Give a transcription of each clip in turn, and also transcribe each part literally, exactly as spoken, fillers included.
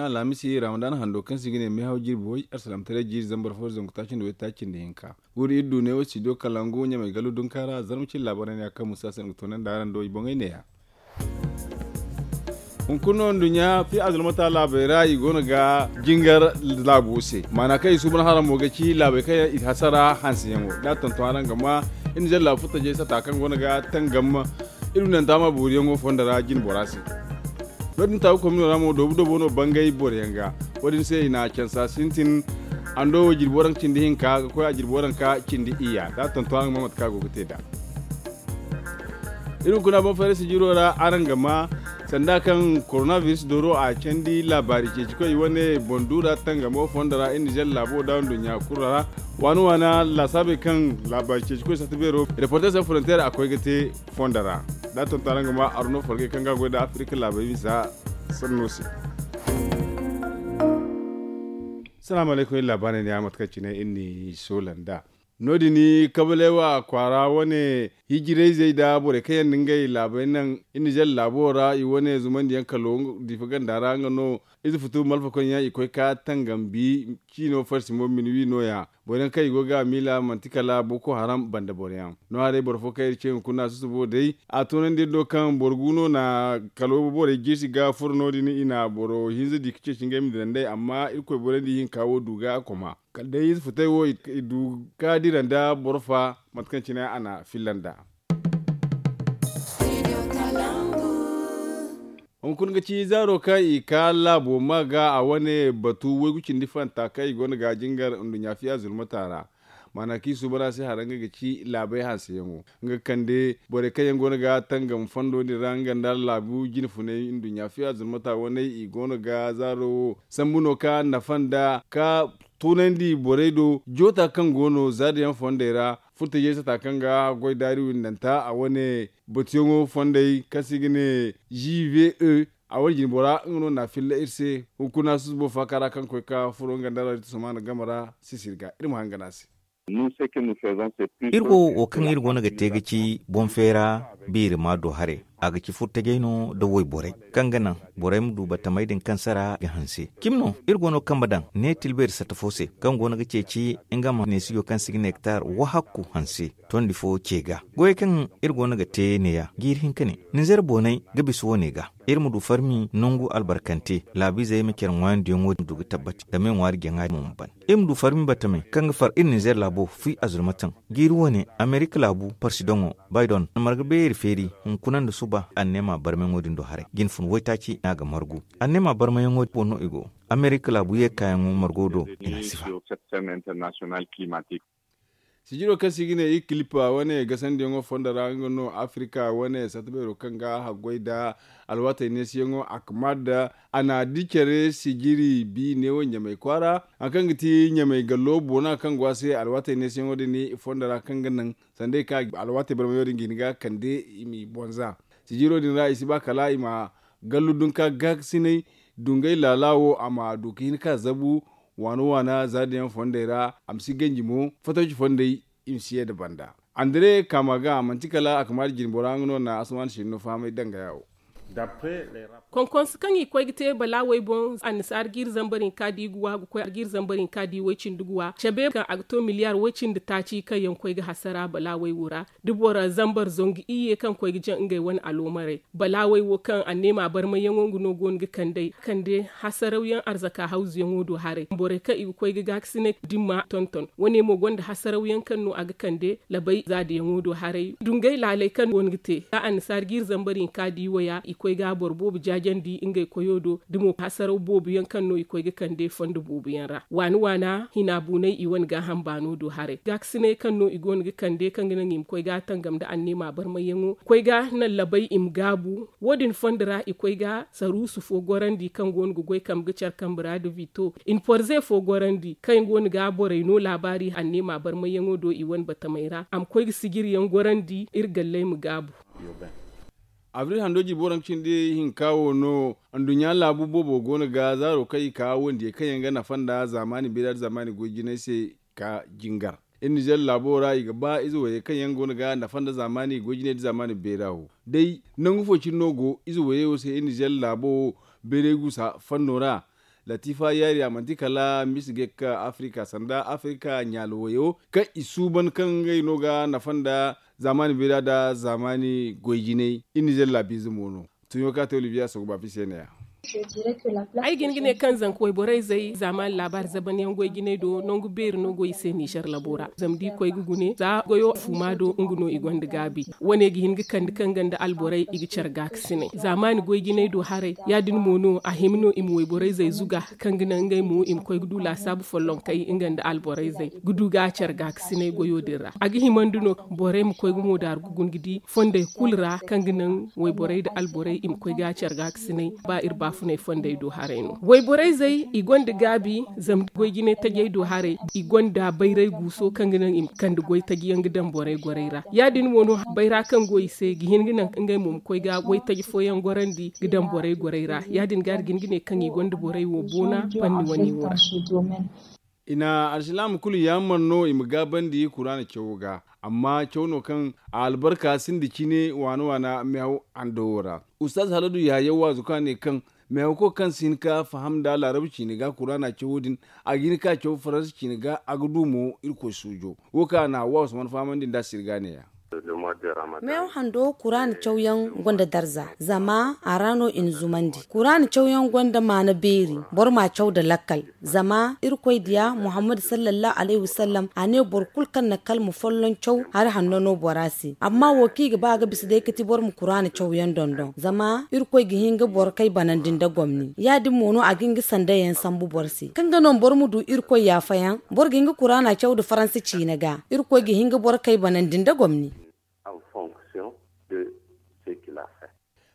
Alhamisi ramadan hando kaŋ se i ga ne meehaw jirbi way arsalamtaray jiiri zambar fo zangu taaci nda way taaci nda hinka. Guuri iri du ne wo studio kalangu ɲamay gallu dunka ra zarma cine laabaarey ne ya kaŋ musa se nga toonandi araŋ do i boŋey ne ya. Hunkuna nduɲɲa fi azulmata laabey ra i go no ga jingar laabo se maana kaŋ i suuban haraŋ mo ga ci laabey kaŋ yaŋ i hasara hanseyaŋo da a tonton araŋ ga ma. Iri na zalla furtajey sata kaŋ go no ga tangam iri nanta ma booriyaŋo fondo ra jine bora se. No- din taabu komino ra mo doobu doobo no bangay boroyaŋ ga. Wo- din se i na cansa sintin hando wo jirbi waranka cindi hinka ga koy a jirbi waranka cindi iyya da a tonton araŋ ga ma mate kaŋ a go ga te nd'a. Iri hunkuna boŋ fayra sijiro ra araŋ ga ma sanda kaŋ koronabiris dooro a candi laabaari ceeci koy i wane boŋ duura tangamo fondo ra iri nizer laabo da nduɲɲa kulu ra. Waana waana laasaabey kaŋ laabaari ceeci koy sata beero reporter san frontier a koy ga te fondo ra da a tonton araŋ ga ma arno forgey kaŋ ga a goy nda afirika laabey misa sanno se. Salaamu alaykum iri laabaarey ne ya mate kaŋ cine iri n'i soola nd'a. No- din kabalewa kwaara wane hijirayzey nda borey kaŋ yaŋ na ngey laabey naŋ iri nizer laabo ra i wane zumandiyaŋ kalo difa ganda ra nga no. Ize futu malfa koyne yaŋ i koy ka tangambi ciino farsi mo minuwi no- ya. Boro yaŋ kaŋ i go ga a miila manti kala boko haram banda boro yaŋ. No- ya day boro fo kaŋ iri ce hunkuna susubo day a toonandi iri do kaŋ boro gu no na kalo borey jirsi ga furo no- din i na boro hinza di ga ceeci ngey ma dira nd'ey amma irkoy borandi ihinka wo du ga a koma. Kala day ize futey wo i du ga dira nda boro fa mate kaŋ cine a na filla nd'a. Hunkuna ga ci zaaro kaŋ i ka laabo ma ga a wane batu waygu cindi fanta kaŋ i go no ga jingar nduɲɲa fiya zulmata ra. Maana kaŋ i suuban a se hara nga ga ci laabey hanseyaŋo nga ga kande borey kaŋ yaŋ go no ga tangam fondo din ra nga nda laabu jine funay nduɲɲa fiya zulmata waney i go no ga zaaro wo sambu no ka nafa nda ka toonandi borey do joota kaŋ go no zaadiyaŋ fondey ra. Furtajey sata kaŋ ga goy daari windanta a wane batuyaŋo fondey kaŋ se i ga ne g v e a wane jinbora nga no na a filla iri se. Hunkuna susubo faaka ra kaŋ koy ka furo nga nda radio tusamaana game ra sisiri ga iri ma hangan a se. Iri wo wo kaŋ iri go no ga te ga ci boŋ feera biiri ma do haray. A ga ci furtajey no nda wayborey kaŋ ga naŋ borey ma du batamey din kaŋ sara ga hanse cimi no iri go no ga kambe daŋ ne tilbeeri satta fo se kaŋ go no ga ceeci nga ma neesijo kaŋ se i ga ne hektar wahakku hanse tondi fo ce ga. Goyey kaŋ iri go no ga te ne ya jiiri hinka ne ninzeer boonay ga bisa wo- ne ga iri ma du farmi nangu albarkante laabiizey ma care ŋwaayandiyaŋo din ma du ga tabbati zama i ŋwaari jaŋa din mo ma ban. Iri ma du farmi batamey kaŋ ga far iri ninzeer laabo fi azulmataŋ jiiri wo- ne amerika laabu parsidoŋo baydon a marga beeri feeri hunkuna nda suba anneema barmayaŋo din do haray jine fun waytaaci no a ga margu. Anneema barmayaŋo din boŋ no i go amerika laabu ye kaayaŋo margo do i na a sifa. Sijiro kaŋ se i ga ne i kilipa wane gasandiyaŋo fondo ra nga no afirika wane satta beero kaŋ ga haggoy nda alwaatey neesiyaŋo a kama nda a na di care sijiri bi neewo ɲamay kwaara hari kaŋ ga ti ɲamay gallo boona kaŋ go a se alwaatey neesiyaŋo din i fondo ra kaŋ ga naŋ sanda i ka alwaatey barmayaŋo din ga hin ga kande i m'i boŋ za. Sijiro din ra i si ba kala i ma gallu dunka gaakasinay dungay laala wo a ma du ga hin ka zabu waana waana za din yaŋ fondey ra a ma si ganji mo fatawci fondey i ma si ye nda banda. Andre kaama ga manti kala a kamaari jinbora nga no na asuman sinno fahamay dangaya wo. Konkonse kaŋ i koy ga te balaawey boŋ annasaara ga iri zambar hinka di ga wa ga koy ga iri zambar hinka di way-cindi ga wa cabe kaŋ a ga to miliyaar way-cindi taaci kaŋ yaŋ koy ga hasara balaawey wo ra. Da boro zambar zangu iyye kaŋ koy ga jaŋ ngey wane aloomarey balaawey wo kaŋ anneema barmayyaŋo nga no go no ga kand'ey kande hasarawyaŋ arzaka hawzuyaŋo do haray borey kaŋ i ga koy ga gaakasinay dimma tonton wane mo gonda hasarawyaŋ kaŋ no a ga kande labay zaadiyaŋo do haray dungay laaley kaŋ go no ga te ga annasaara ga iri zambar hinka di waya i koy ga boro boobo jaajandi ngey koyo do da mo hasaraw boobo yaŋ kaŋ no i koy ga kande fondo boobo yaŋ ra waana waana hina buunay i wane gaaham baano do haray gaakasinay kaŋ no i go no ga kande kaŋ ga naŋ i ma koy ga tangam nda anneema barmayyaŋo koy ga naŋ labay i ma gaabu. Wo- din fondo ra i koy ga saruusu fo gorandi kaŋ go no ga goy kambe ga care kambe ra da vito i na porze fo gorandi kaŋ go no ga borey no laabaari anneema barmayyaŋo do i wane batamey ra a ma koy ga sijiriyaŋ gorandi iri galley ma gaabu. Abril hando jirbi waranka cindi hinka wo no anduɲɲa laabu boobo go no ga zaaro kaŋ i ka wandiyey kaŋ yaŋ ga nafa nda zaamaani beera nda zaamaani goy jinay se ka jingar. Iri nizer laabo ra i ga ba ize wayey kaŋ yaŋ go no ga nafa nda zaamaani goy jinay nda zaamaani beera wo day nangu fo cine no go ize wayey wo se iri nizer laabo wo beeray guusa fanno ra. Latifa yaari a manti kala misi ga ka afirika sanda afirika ɲaalo wayo kaŋ i suuban kaŋ ngey no ga nafa nda zaamaani beera nda zaamaani goy jinay. Iri nizer laabiize mo no. Tuɲo kaŋ a te oliviya soogu baafi se ne- ya. Ay ga hin ga ne kaŋ zanka wayborey zey zaamaani laabaari zaban yaŋ goy jinay do nangu beeri no go i se nizer labo ra zama da i koy ga gune za goyo fuuma do nga no i gonda gaabi. Wane ga hin ga kande kaŋ ga nda alborey i ga care gaakasinay zaamaani goy jinay do haray. Ya- din mo no a hima no i ma wayborey zey zuga kaŋ ga naŋ ngey mo i ma koy ga du laasaabu follonkey nga nda alborey zey ga du ga care gaakasinay goyo din ra a ga himandi no borey ma koy ga mo daaru ga guna ga di fondey kulu ra kaŋ ga naŋ wayborey nda alborey i ma koy ga care gaakasinay. Ba iri baafunay fondey do haray no wayborey zey i gonda gaabi zama goy jinay tajey do haray. I gonda bayray guuso kaŋ ga naŋ i ma kande goy taji yaŋ ga daŋ borey gorey ra ya- din mo no bayra kaŋ go i se ga hin ga naŋ ngey mo ma koy ga goy taji fooyaŋ gorandi ga daŋ borey gorey ra ya- din ga a ga hin ga ne kaŋ i gonda borey wo boona fanni wane wo ra. I na alsilaama kulu yaamar no i ma gaabandi kuraana cawo ga amma caw no kaŋ a albarka sinda cine waana waana meehaw ando wo ra. Ustaz haladu yaayaw waazu kaŋ a ne kaŋ meehaw kaŋ si hin ka faham nda laarabu ciine ga kuraana cawo din a ga hin ka caw faransa ciine ga a ga du mo irkoy suujo. Wo kaŋ a na hawwa usman fahamandi nda sirga ne- ya. Meew hando kuraana cawyaŋ gonda darza zama a ra no i na zumandi kuraana cawyaŋ gonda maana beeri. Boro ma a caw nda lakkal zama irkoy diya muhammad sallallahu alayhi wasallam a ne boro kulu kaŋ na kalma folloŋ caw hari hanno no bora se amma wo kaŋ i ga ba ga bisa day ga ti boro ma kuraana cawyaŋ dondon zama irkoy ga hin ga boro kay banandi nda gomni ya- din mo no a ga hin ga sandayaŋ sambu boro se kaŋ ga no boro ma du irkoy yaafayaŋ. Boro ga hin ga kuraana caw nda faransa ciine ga irkoy ga hin ga boro kay banandi nda gomni.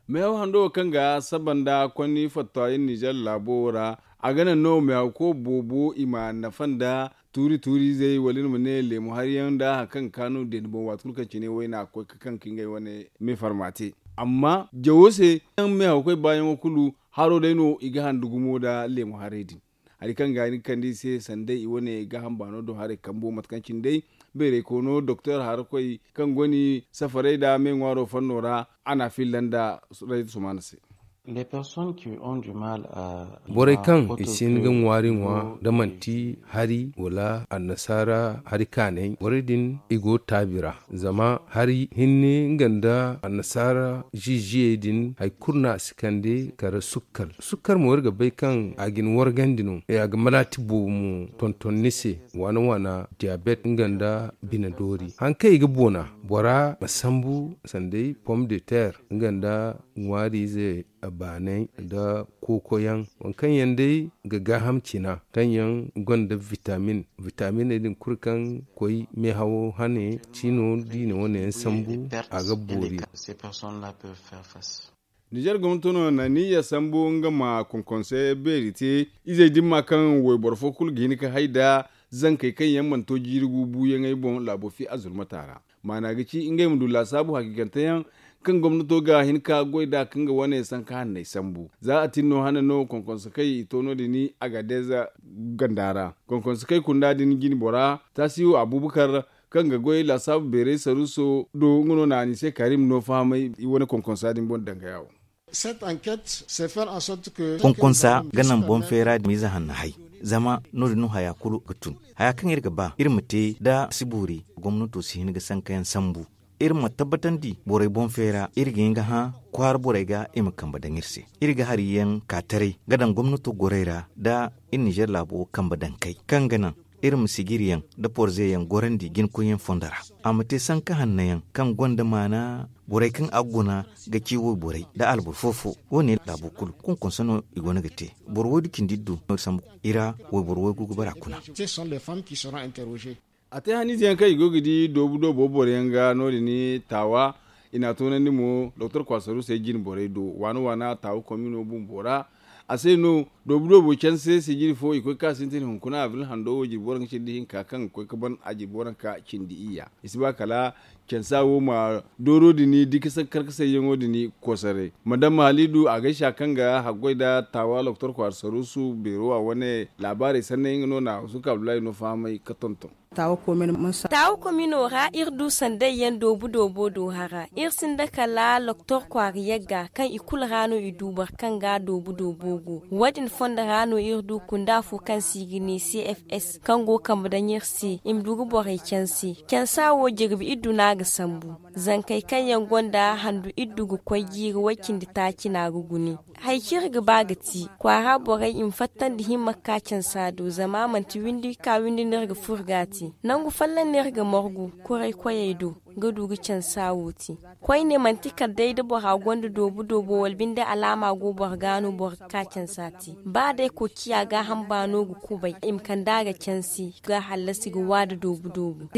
Meehaw hando wo kaŋ ga saba nda konni fattawa iri nizer laabo wo ra a ga naŋ no meehaw ko boobo i ma nafa nda tuuri tuuri izey wala iri ma ne leemu hari yaŋ nda hari kaŋ ga kaanu deene boŋ waati kulu kaŋ cine wayna ga koy ga kaŋ ga ngey wane meefarma te. Amma jawo se yaŋ meehaw koy baayaŋo kulu haro day no i ga handu gumo nda leemu haray din. Hari kaŋ ga ni ga kande i se sanday i wane gaaham baano do haray kambo mate kaŋ cine day beeray koono doktor harakoy kaŋ go ni safaray nda meeŋwaaro fanno ra a na a filla nda sumaana se. Borey kaŋ i si hin ga ŋwaari ŋwa da manti hari wala annasaara hari kaanay borey din i go taabi ra. Zama hari hinne nga nda annasaara ziiziyey din hari kulu no a si kande kala sukkar sukkar mo iri ga bay kaŋ a ga ni wargandi no a ga malaati boobo mo tonton ni se waana waana diyabet nga nda bine doori hari kaŋ i ga boona bora ma sambu sanday pom de ter nga nda ŋwaari ize baanay nda kookoyaŋ waŋ kaŋ yaŋ day ga gaaham cina kaŋ yaŋ gonda vitamin vitaminey din kulu kaŋ koy meehawo hane ciino da i na wane yaŋ sambu a ga boori. Nizer gomnato no na niyya sambu nga ma konkonse beeri te izey dimma kaŋ wayboro fo kulu ga hin ga hay nda zankey kaŋ yaŋ mana to jiiri gu buuyaŋey boŋ laabo fi azurmata ra maana ga ci ngey ma du laasaabu hakiikante yaŋ kaŋ gomnato ga hin ka goy nd'a ka nga wane sanka hanney sambu za a tin no hane no konkonse kay i to no- din i agadez ganda ra. Konkonse kay kunda din jine bora taasiyo abubakar kaŋ ga goy laasaabu beeray saruuso do nga no na a ni se karim no fahamay i wane konkonsa din boŋ dangaya wo. Konkonsa ga naŋ boŋ feera dimiize hanno hay zama no- din no haya kulu ga tun haya kaŋ iri ga ba iri ma te da si boori gomnato si hin ga sankayaŋ sambu. Iri ma tabbatandi borey boŋ feera iri ga hin ga hã kwaara borey ga i ma kambe daŋ iri se. Iri ga hari yaŋ ka taray ga daŋ gomnato gorey ra nda iri nizer laabo kambe daŋ kay kaŋ ga naŋ iri ma sijiriyaŋ nda porzeyaŋ gorandi jinkoyyaŋ fondo ra. A ma te sanka hanno yaŋ kaŋ gonda maana borey kaŋ a ga guna ga ci wayborey nda alboro fo-fo wo- ne laabo kulu konkonse no i go no ga te. Boro waydu cindi iri du no iri sambu i ra wayboro waygu ga bara kuna. A te haniize yaŋ kaŋ i go ga di doobu doobo boro yaŋ ga no- din taawa i n'a toonandi mo doktor kwaasaru se jine borey do waana waana taawa komino bumbo ra. A se no doobu doobo canse sijiri fo i koy ga ka sintin hunkuna abril hando wo jirbi waranka cindi hinka kaŋ ga koy ga ban a jirbi waranka cindi iyya i si ba kala cansa wo ma dooro din dikasa karkasayyaŋo din kosaray madama halidu a gaysa kaŋ ga haggoy nda taawa doktor kwaara saruusu beero a wane laabaarey sanney nga no na husuka abdullahi no fahamay ga tonton. Taawa komino ra iri du sanday yaŋ doobu doobo do hara. Iri sinda kala doktor kwaara yagga kaŋ i kulu ra no i du boro kaŋ ga doobu doobo go. Wo- din fondo ra no iri du kunda fo kaŋ se i ga ne c f s kaŋ go ga kambe daŋ iri se i ma du ga borey canse. Cansa wo jirbi iddu no a ga sambu. Zankey kaŋ yaŋ gonda handu iddu ga koy jiiri way cindi taaci no a ga gune. Hari kaŋ iri ga ba ga ti kwaara borey i ma fattandi himma ga ka cansa do zama a manti windi ga ka windi no iri ga furo ga a te. Nangu folloŋ no iri ga margu kuray koyey do ga du ga cansa wo te. Koyne manti kala day da bora gonda doobu doobo wala binde alaama go boro ga no boro ga ka cansa te. Ba day koociya gaaham baano ga kubay i ma kand'a ga canse ga hallasi ga waada doobu doobu.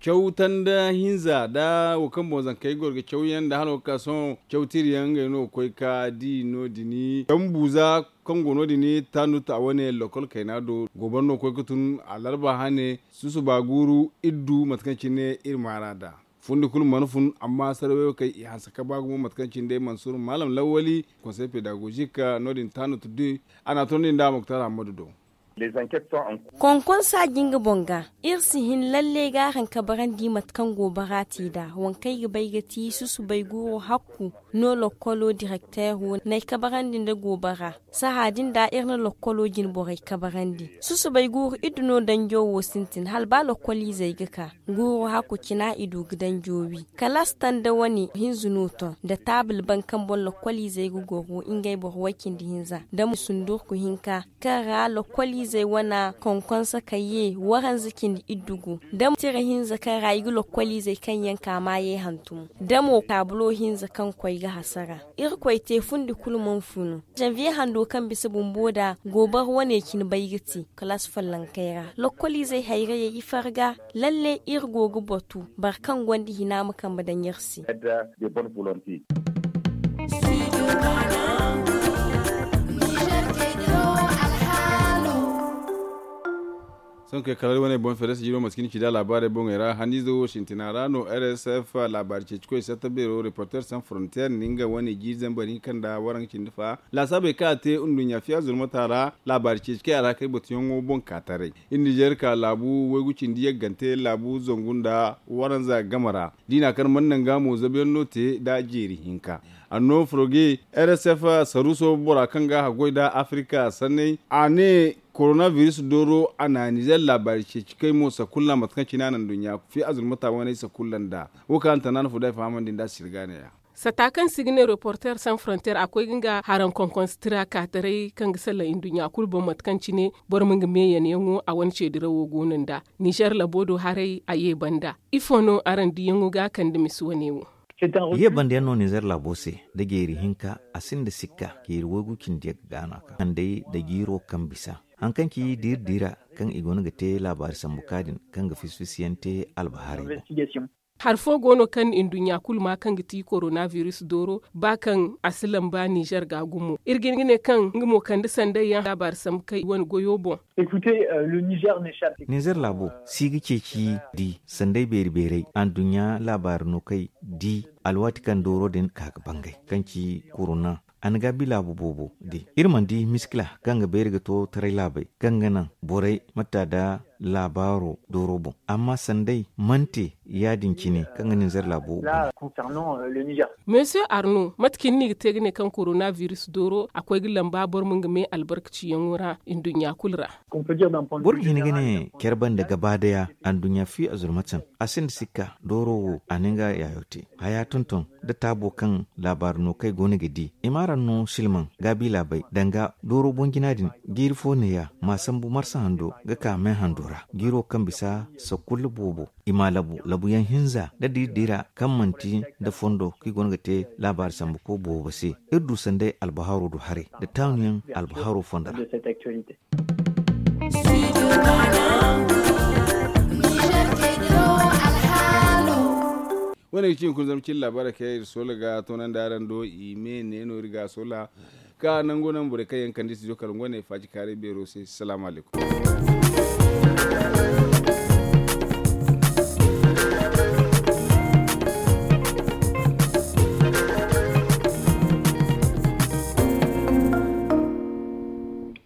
Caw tanda hinza nda wo kaŋ boŋ zankey goro ga caw yaŋ nda hala wo ga ka sohõ caw tiri yaŋ ngey no ga koy ga di no- din. Caw buuza kaŋ go no- din taanu ta wane lokol kayna do gooboro no ga koy ga tun alarba hane susuba guuru iddu mate kaŋ cine iri maara nd'a. Fundi kulu mana fun amma sarawey wo kay i hanse ka ba gumo mate kaŋ cine day mansur maalam lawwali konsey pedagozik no- din taanu ta du. A na a tondi nd'a moktar hammadu do. Konkonsa jinga boŋ ga iri si hin lalle ga araŋ kabarandi mate kaŋ goobara te nd'a waŋ kaŋ ay ga bay ga ti susubay guuro hakku no lokkolo direkteero n'ay kabarandi nda goobara. Sahã din da iri na lokkolo jine borey kabarandi. Susubay guuru iddu no danjo wo sintin hala ba lokkoliizey ga ka guuru hakku cina i du ga danjo wi. Kalaas tanda wane hinza no ton nda taabul baŋ kaŋ boŋ lokkoliizey ga goro ngey boro way cindi hinza da mo sundurku hinka kaŋ ra lokkoliizey wana konkonsa ka ye waranza cindi iddu gu da mo tira hinza kaŋ ra i ga lokkoliizey kaŋ yaŋ ka maayey hantum da mo taabulo hinza kaŋ koy ga hasara. Irkoy te fundi kulu mana funu. Zanviye hando kaŋ bisa bumbo da goobara wane cine bay ga te kalaas follonkey ra lokkoliizey hayrayey i farga. Lalle iri go ga batu boro kaŋ gonda hina ma kambe daŋ iri se. Sohõ kay kala wane boŋ feere sijiro maskini ci da laabaarey boŋey ra hanniize wo sintina ra no r s f laabaari ceeci koy satta beero reporter sans frontier na nga wane jiiri zambar hinka nda waranka cindi fa laasaabey kaŋ a te nduɲɲa fiya zulmata ra. Laabaari ceeci kaŋ a ra kay batuyaŋo boŋ ka taray iri nizeer ka laabu waygu cindi yaggante laabu zangu nda waranza game ra. Diina kaŋ mana naŋ ga mo zabuyaŋ no te nda jeeri hinka. Anno foroge r s f saruuso bora kaŋ ga haggoy nda afirika sanney a ne korona biris dooro a na nizeer laabaari ceeci kay mo sakulla mate kaŋ cine a na nduɲɲa fi azulmata waney sakulla nda wo kaŋ a na tana no fo day fahamandi nda sirga neeya. Sata kaŋ se i ga ne reporter sans frontier a koy ga nga haraŋ konkonsa tira kaataray kaŋ ga salaŋ nduɲɲa kulu boŋ mate kaŋ cine boro ma nga meeyanyaŋo a wane ceedirawo go no nd'a. Nizeer labo do haray a ye banda ifo no araŋ diyaŋo ga a kande misi wane wo? Ye banda yaŋ no nizeer labo se nda jeeri hinka a sinda sikka jeeri waygu cindi yaŋ ga gaana ka kandey nda jiiro kaŋ bisa haŋ kaŋ ci diiri diira kaŋ i go no ga te laabaari sambu ka din kaŋ ga fisi fisi yaŋ te albaharay boŋ. Hari fo go no kaŋ nduɲɲa kulu ma kaŋ ga ti korona biris dooro ba kaŋ a si lamba nizeer ga gumo iri ga hin ga ne kaŋ nga mo kande sanday yaŋ laabaari sambu kay wane goyo boŋ. Nizeer laabo si ga ceeci di sanday beeri beeray anduɲɲa laabaari no kay di alwaati kaŋ dooro din ka ga bangay kaŋ ci korona. A na gaabi laabu boobo di iri mana di miskila kaŋ ga beeri ga to taray laabey kaŋ ga naŋ borey matta nda laabaaro dooro boŋ amma sanday mana te ya- din cine kaŋ ga ninzeer laabo. Monsieur arno mate cine no i ga te ga ne kaŋ korona biris dooro a koy ga lamba boro ma nga me albarkaciyaŋo ra nduɲɲa kulu ra? Boro ga hin ga ne care banda gaba daya anduɲɲa fi azurmatan a sinda sikka dooro wo a na nga yaayo te haya tonton da taabo kaŋ laabaari no kaŋ ay go no ga di i ma araŋ no silmaŋ gaabi laabey danga dooro boŋ jina din jiiri fo neeya ma sambu marsa hando ga ka me hando ra jiiro kaŋ bisa sakulla boobo i ma labu labuyaŋ hinza da diiri diira kaŋ manti nda fondo kaŋ i go no ga te laabaari sambu ko boobo se iri du sanday albahaaro do haray nda taanuyaŋ albahaaro fondo ra. Wane ga ci hunkuna zama cin laabaarey kaŋ iri soola ga toonandi araŋ do i me ne no iri ga soola ka nango naŋ borey kaŋ yaŋ kande studio kala ngo ne faaci kaaray beero se salaamu alaykum.